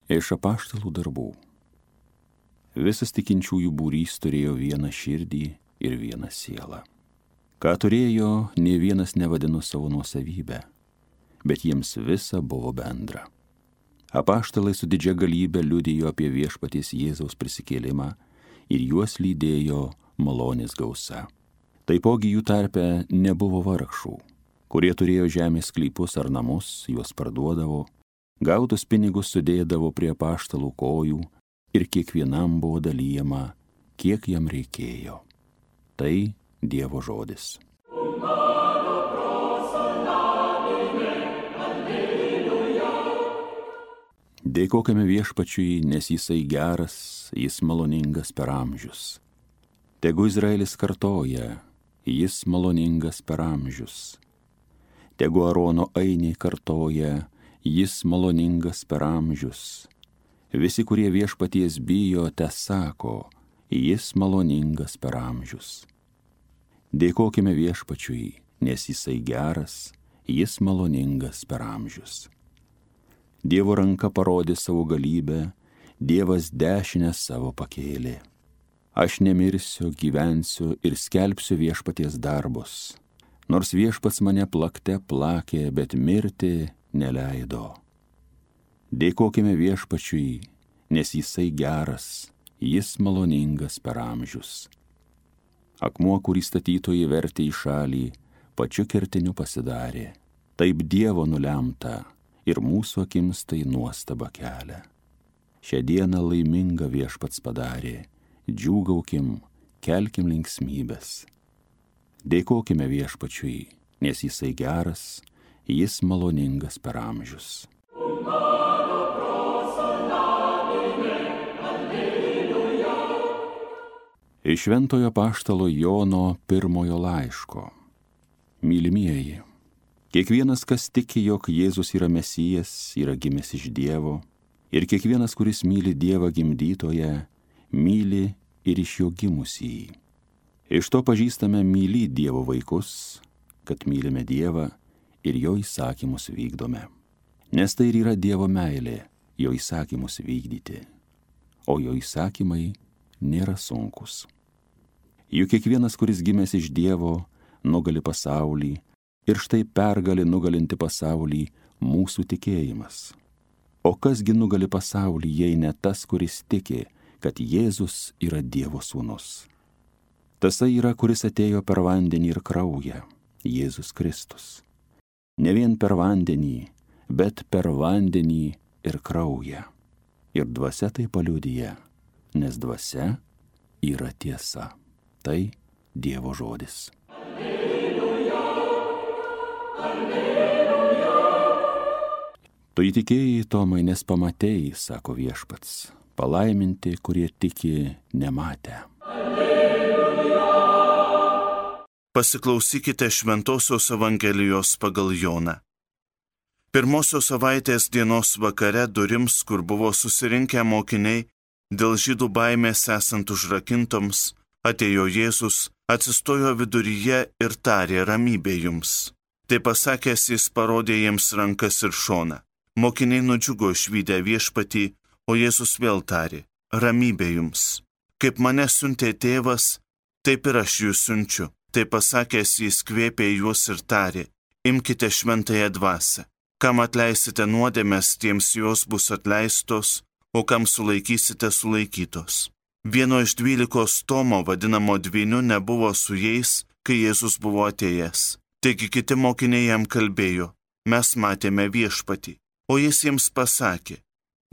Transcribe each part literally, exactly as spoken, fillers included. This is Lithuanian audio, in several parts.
Iš apaštalų darbų. Visas tikinčiųjų būrys turėjo vieną širdį ir vieną sielą. Ką turėjo, nė vienas nevadino savo nuosavybę, bet jiems visa buvo bendra. Apaštalai su didžia galybė liudijo apie viešpaties Jėzaus prisikėlimą ir juos lydėjo malonės gausa. Taipogi jų tarpe nebuvo vargšų, kurie turėjo žemės sklypus ar namus, juos parduodavo, gautus pinigus sudėdavo prie apaštalų kojų ir kiekvienam buvo dalyjama, kiek jam reikėjo. Tai Dievo žodis. Dėkokime viešpačiui, nes jisai geras, jis maloningas per amžius. Tegu Izraelis kartoja, jis maloningas per amžius. Tegu Arono ainiai kartoja, jis maloningas per amžius. Visi, kurie viešpaties bijo, te sako, jis maloningas per amžius. Dėkokime viešpačiui, nes jisai geras, jis maloningas per amžius. Dievo ranka parodė savo galybę, Dievas dešinę savo pakėlė. Aš nemirsiu, gyvensiu ir skelbsiu viešpaties darbus. Nors viešpats mane plakte plakė, bet mirti neleido. Dėkokime viešpačiui, nes jisai geras, jis maloningas per amžius. Akmuo, kurį statytojai vertė į šalį, pačiu kertiniu pasidarė. Taip Dievo nulemta ir mūsų akims tai nuostaba kelia. Šią dieną laimingą viešpats padarė, džiūgaukim, kelkim linksmybės. Dėkokime viešpačiui, nes jisai geras, jis maloningas per amžius. Iš šventojo apaštalo Jono pirmojo laiško. Mylimieji, kiekvienas, kas tiki, jog Jėzus yra Mesijas, yra gimęs iš Dievo, ir kiekvienas, kuris myli Dievą gimdytoją, myli ir iš jo gimusįjį. Iš to pažįstame myli Dievo vaikus, kad mylime Dievą ir jo įsakymus vykdome. Nes tai ir yra Dievo meilė, jo įsakymus vykdyti, o jo įsakymai nėra sunkus. Juk kiekvienas, kuris gimęs iš Dievo, nugali pasaulį, ir štai pergali nugalinti pasaulį mūsų tikėjimas. O kasgi nugali pasaulį, jei ne tas, kuris tiki, kad Jėzus yra Dievo sūnus. Tasai yra, kuris atėjo per vandenį ir kraują, Jėzus Kristus. Ne vien per vandenį, bet per vandenį ir kraują. Ir dvasia tai paliudija, nes dvasia yra tiesa. Tai Dievo žodis. Alleluja, alleluja. Tu įtikėjai, Tomai, nes pamatei, sako viešpats, palaiminti, kurie tiki nematę. Alleluja. Pasiklausykite Šventosios Evangelijos pagal Joną. Pirmosios savaitės dienos vakare durims, kur buvo susirinkę mokiniai, dėl žydų baimės esant užrakintoms, atėjo Jėzus, atsistojo viduryje ir tarė ramybė jums. Tai pasakęs jis parodė jiems rankas ir šoną. Mokiniai nudžiugo išvydę viešpatį, o Jėzus vėl tarė, ramybė jums. Kaip mane siuntė tėvas, taip ir aš jūs siunčiu. Tai pasakęs jis kvėpė juos ir tarė, imkite šventąją dvasią. Kam atleisite nuodėmes, tiems jos bus atleistos, o kam sulaikysite sulaikytos. Vieno iš dvylikos Tomo, vadinamo dvyniu, nebuvo su jais, kai Jėzus buvo atėjęs. Taigi kiti mokiniai jam kalbėjo, mes matėme viešpatį. O jis jiems pasakė,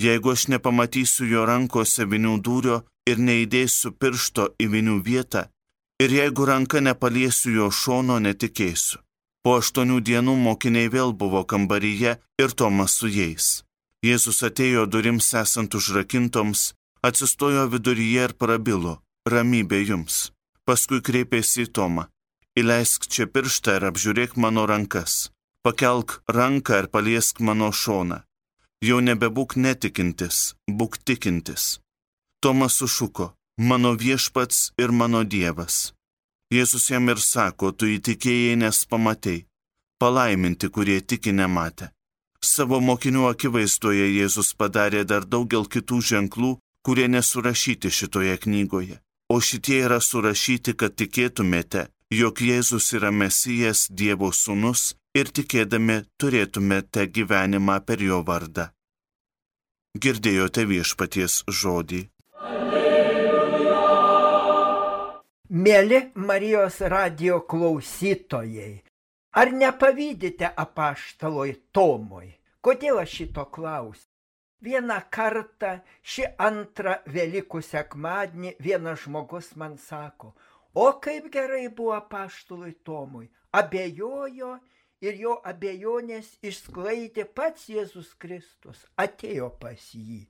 jeigu aš nepamatysiu jo rankose vinių dūrio ir neįdėsiu piršto į vinių vietą, ir jeigu ranka nepaliesiu jo šono, netikėsiu. Po aštuonių dienų mokiniai vėl buvo kambaryje ir Tomas su jais. Jėzus atėjo durims esant užrakintoms, atsistojo viduryje ir prabilo, ramybė jums. Paskui kreipėsi į Tomą, įleisk čia pirštą ir apžiūrėk mano rankas. Pakelk ranką ir paliesk mano šoną. Jau nebebūk netikintis, būk tikintis. Tomas sušuko, mano viešpats ir mano Dievas. Jėzus jam ir sako, tu įtikėjai, nes pamatei. Palaiminti, kurie tiki nematę. Savo mokinių akivaizdoje Jėzus padarė dar daugel kitų ženklų, kurie nesurašyti šitoje knygoje. O šitie yra surašyti, kad tikėtumėte, jog Jėzus yra Mesijas, Dievo sūnus, ir tikėdami turėtumėte gyvenimą per jo vardą. Girdėjote Viešpaties žodį. Alleluja. Mėly Marijos radijo klausytojai, ar nepavydite apaštalui Tomui? Kodėl aš šito klausiu? Vieną kartą šį antrą Velykų sekmadienį vienas žmogus man sako, o kaip gerai buvo apaštalui Tomui. Abejojo ir jo abejonės išsklaidė pats Jėzus Kristus, atėjo pas jį.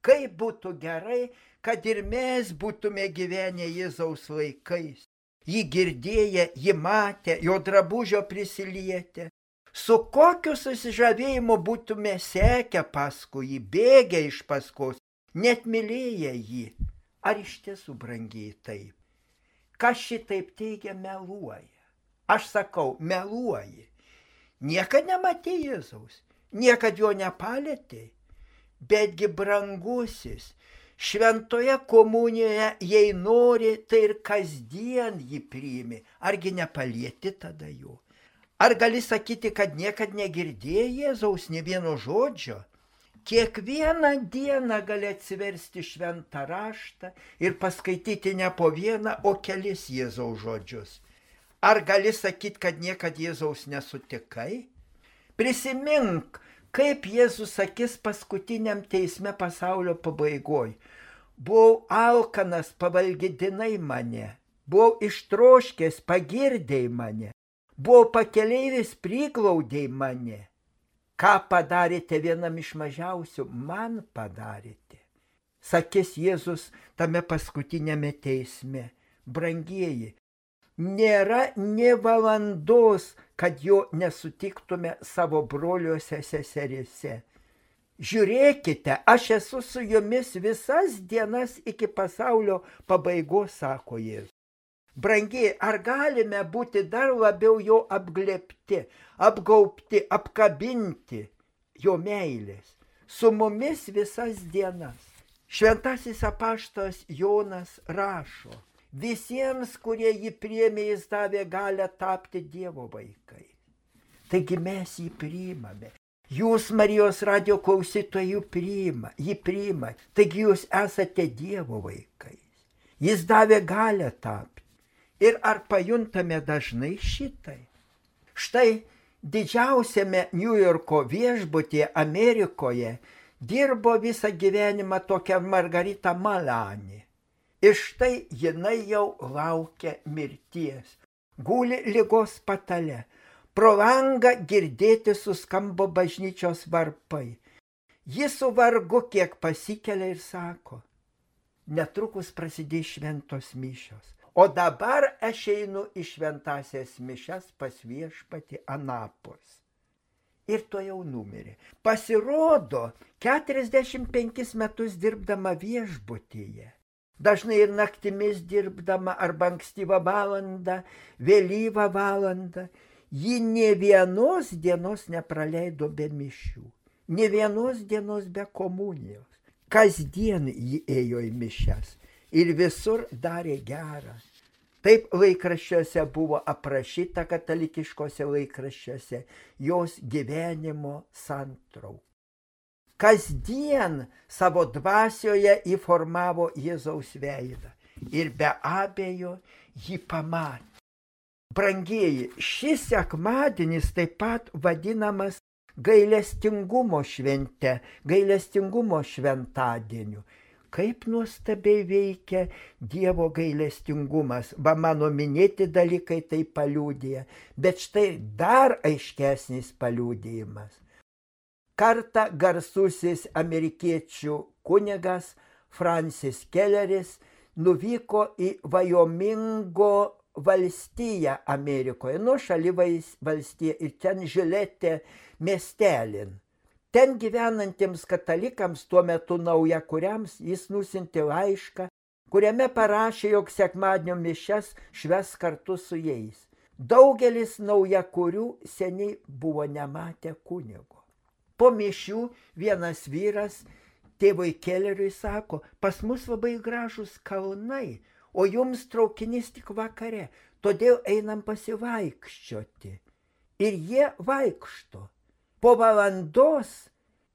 Kaip būtų gerai, kad ir mes būtume gyvenę Jėzaus laikais. Jį girdėję, jį matę, jo drabužio prisilietę. Su kokiu susižavėjimu būtume sekę paskui jį, bėgę iš paskos, net mylėję jį. Ar iš tiesų, brangiai, taip? Kas šitaip teigia, meluoja. Aš sakau, meluoji. Niekad nematė Jėzaus, niekad jo nepalėtė. Betgi brangusis, šventoje komunijoje, jei nori, tai ir kasdien jį priimi. Argi nepalieti tada jo? Ar gali sakyti, kad niekad negirdėjai Jėzaus nė vieno žodžio? Kiekvieną dieną gali atsiversti šventą raštą ir paskaityti ne po vieną, o kelis Jėzaus žodžius. Ar gali sakyti, kad niekad Jėzaus nesutikai? Prisimink, kaip Jėzus sakys paskutiniam teisme pasaulio pabaigoj. Buvau alkanas, pavalgydinai mane, buvau ištroškęs, pagirdėjai mane. Buvo pakeleivis, priglaudėjai mane. Ką padarėte vienam iš mažiausių, man padarėte. Sakys Jėzus tame paskutinėme teisme. Brangieji, nėra nė valandos, kad jo nesutiktume savo broliuose seserėse. Žiūrėkite, aš esu su jumis visas dienas iki pasaulio pabaigos, sako Jėzus. Brangiai, ar galime būti dar labiau jo apglėbti, apgaubti, apkabinti jo meilės, su mumis visas dienas? Šventasis apaštalas Jonas rašo, visiems, kurie jį priėmė, jis davė galią tapti Dievo vaikai. Taigi mes jį priimame. Jūs, Marijos radijo klausytojai, jį priima, jį priima. Taigi jūs esate Dievo vaikais. Jis davė galią tapti. Ir ar pajuntame dažnai šitai? Štai didžiausiame Niujorko viešbutyje Amerikoje dirbo visą gyvenimą tokia Margarita Malani. Ir štai jinai jau laukia mirties. Guli ligos patale. Pro langą girdėti suskambo bažnyčios varpai. Ji su vargu kiek pasikelia ir sako, netrukus prasidės šventos mišios. O dabar aš einu į šventasias mišias pas Viešpatį anapus. Ir to jau numirė. Pasirodo, keturiasdešimt penkis metus dirbdama viešbutyje, dažnai ir naktimis dirbdama arba ankstyvą valandą, vėlyvą valandą, ji nė vienos dienos nepraleido be mišių, nė vienos dienos be komunijos. Kasdien ji ėjo į mišias. Ir visur darė gerą. Taip laikraščiuose buvo aprašyta, katalikiškose laikraščiuose, jos gyvenimo santraukų. Kasdien savo dvasioje įformavo Jėzaus veidą. Ir be abejo jį pamatė. Brangieji, šis sekmadienis taip pat vadinamas gailestingumo švente, gailestingumo šventadieniu. Kaip nuostabiai veikia Dievo gailestingumas. Va, mano minėti dalykai tai paliudija, bet štai dar aiškesnis paliudijimas. Kartą garsusis amerikiečių kunigas Francis Kelleris nuvyko į Vajomingo valstiją Amerikoje, nuošali valstija, ir ten Žiletė miestelin. Ten gyvenantiems katalikams, tuo metu naujakuriams, jis nusiuntė laišką, kuriame parašė, jog sekmadienio mišias švęs kartu su jais. Daugelis naujakurių seniai buvo nematę kunigo. Po mišių vienas vyras tėvui Keleriui sako, pas mus labai gražus kalnai, o jums traukinys tik vakare, todėl einam pasivaikščioti. Ir jie vaikšto. Po valandos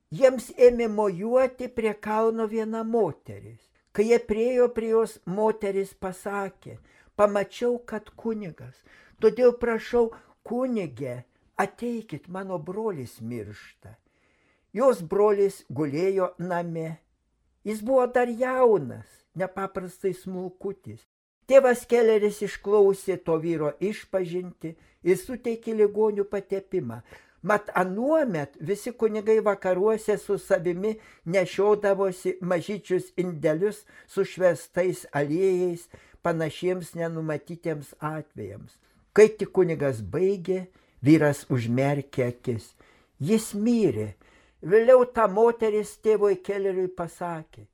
jiems ėmė mojuoti prie kalno viena moteris. Kai jie priejo prie jos, moteris pasakė, pamačiau, kad kunigas, todėl prašau, kunige, ateikit, mano brolis miršta. Jos brolis gulėjo name. Jis buvo dar jaunas, nepaprastai smulkutis. Tėvas Keleris išklausė to vyro išpažinti ir suteikė ligonių patepimą. Mat anuomet visi kunigai vakaruose su savimi nešiodavosi mažyčius indelius su švestais aliejais, panašiems nenumatytiems atvejams. Kai tik kunigas baigė, vyras užmerkė akis. Jis mirė. Vėliau ta moteris tėvui Keleriui pasakė,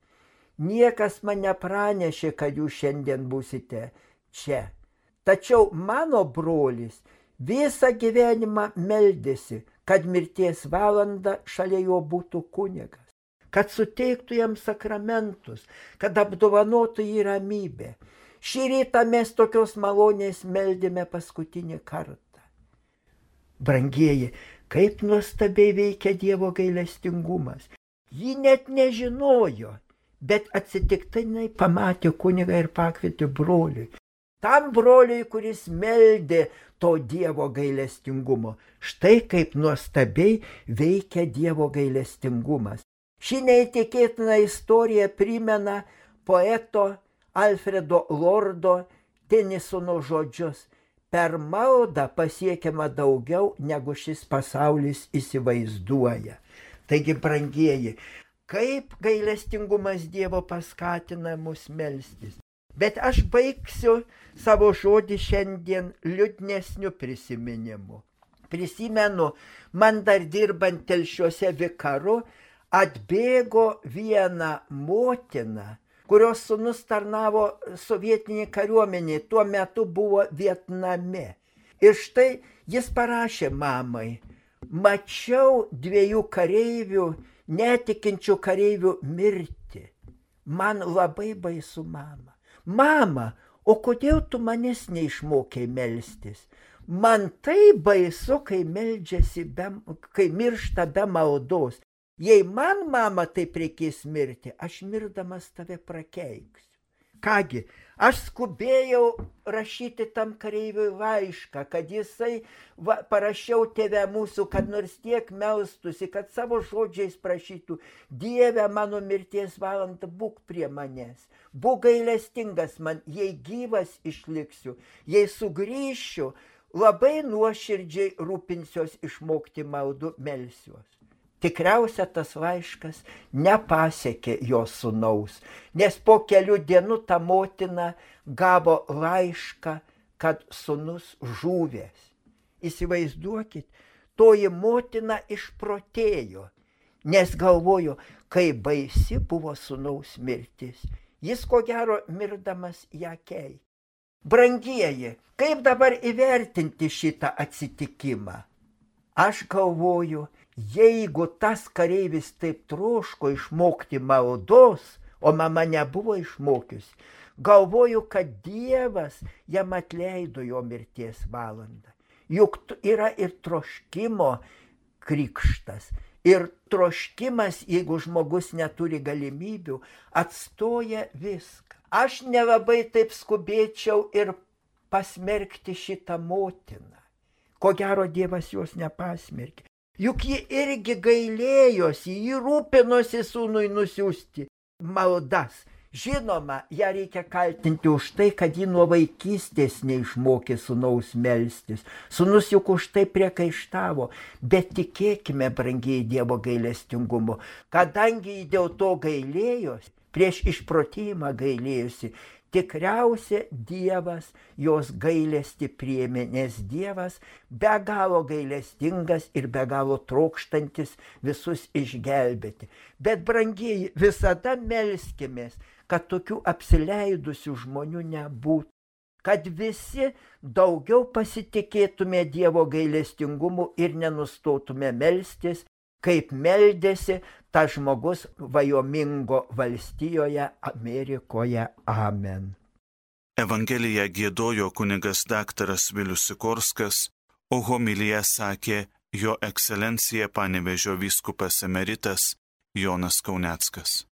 niekas man nepranešė, kad jūs šiandien būsite čia. Tačiau mano brolis visą gyvenimą meldėsi, kad mirties valanda šalia jo būtų kunigas, kad suteiktų jam sakramentus, kad apdovanotų jį ramybę. Šį rytą mes tokios malonės meldėme paskutinį kartą. Brangieji, kaip nuostabiai veikia Dievo gailestingumas. Ji net nežinojo, bet atsitiktinai pamatė kunigą ir pakvietė broliui. Tam broliui, kuris meldė to Dievo gailestingumo. Štai kaip nuostabiai veikia Dievo gailestingumas. Ši neįtikėtina istorija primena poeto Alfredo Lordo Tenisono žodžius. Per maldą pasiekiama daugiau, negu šis pasaulis įsivaizduoja. Taigi, brangieji, kaip gailestingumas Dievo paskatina mus melstis. Bet aš baigsiu savo žodį šiandien liūdnesniu prisiminimu. Prisimenu, man dar dirbant Telšiuose vikaru, atbėgo viena motina, kurios sūnus tarnavo sovietinį kariuomenį, tuo metu buvo Vietname. Ir štai jis parašė mamai, mačiau dviejų kareivių, netikinčių kareivių mirtį. Man labai baisu, mama. Mama, o kodėl tu manęs neišmokei melstis? Man tai baisu, kai meldžiasi, be, kai miršta be maldos. Jei man, mama, taip reikės mirti, aš mirdamas tave prakeiksiu. Kągi, aš skubėjau rašyti tam kareiviui laišką, kad jisai, va, parašiau tėve mūsų, kad nors tiek melstusi, kad savo žodžiais prašytų, Dieve, mano mirties valandą būk prie manęs, būk gailestingas man, jei gyvas išliksiu, jei sugrįšiu, labai nuoširdžiai rūpinsiuos išmokti maldų, melsiuos. Tikriausia, tas laiškas nepasiekė jo sūnaus, nes po kelių dienų ta motina gavo laišką, kad sūnus žuvęs. Įsivaizduokit, toji motina išprotėjo, nes galvojo, kaip baisi buvo sūnaus mirtis. Jis ko gero mirdamas ją keikė. Brangieji, kaip dabar įvertinti šitą atsitikimą? Aš galvoju, jeigu tas kareivis taip troško išmokti maldos, o mama nebuvo išmokiusi, galvoju, kad Dievas jam atleido jo mirties valandą. Juk yra ir troškimo krikštas. Ir troškimas, jeigu žmogus neturi galimybių, atstoja viską. Aš nelabai taip skubėčiau ir pasmerkti šitą motiną. Ko gero, Dievas jos nepasmerkė. Juk ji irgi gailėjosi, ji rūpinosi sūnui nusiųsti maldas. Žinoma, ją reikia kaltinti už tai, kad ji nuo vaikystės neišmokė sūnaus melstis. Sūnus juk už tai priekaištavo, bet tikėkime, brangiai, Dievo gailestingumu, kadangi ji dėl to gailėjosi, prieš išprotėjimą gailėjosi, tikriausia Dievas jos gailestį priėmė, nes Dievas be galo gailestingas ir be galo trokštantis visus išgelbėti. Bet, brangieji, visada melskimės, kad tokių apsileidusių žmonių nebūtų, kad visi daugiau pasitikėtume Dievo gailestingumu ir nenustotume melstis kaip meldėsi tas žmogus Vajomingo valstijoje Amerikoje. Amen. Evangeliją giedojo kunigas daktaras Vilius Sikorskas, o homiliją sakė jo ekscelencija Panevėžio vyskupas emeritas Jonas Kauneckas.